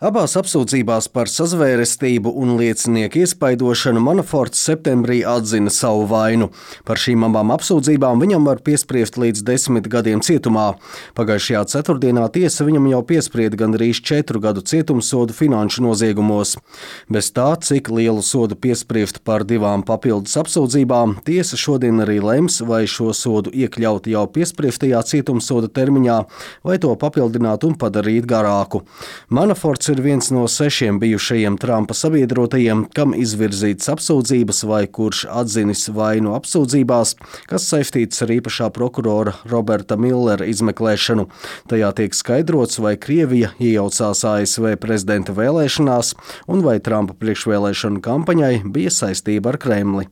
Abās apsūdzībās par sazvērestību un liecinieku iespaidošanu Manaforts septembrī atzina savu vainu. Par šīm abām apsūdzībām viņam var piespriest līdz 10 gadiem cietumā. Pagājušajā ceturtdienā tiesa viņam jau piesprieda gandrīz 4 gadu cietumsodu finanšu noziegumos. Bez tā, cik lielu sodu piespriest par 2 papildus apsūdzībām, tiesa šodien arī lems, vai šo sodu iekļaut jau piespriestajā cietumsoda termiņā, vai to papildināt un padarīt garāku. Manaforts ir viens no 6 bijušajiem Trumpa sabiedrotajiem, kam izvirzītas apsūdzības vai kurš atzinis vainu apsūdzībās, kas saistītas ar īpašā prokurora Roberta Millera izmeklēšanu. Tajā tiek skaidrots, vai Krievija iejaucās ASV prezidenta vēlēšanās un vai Trumpa priekšvēlēšanu kampaņai bija saistība ar Kremli.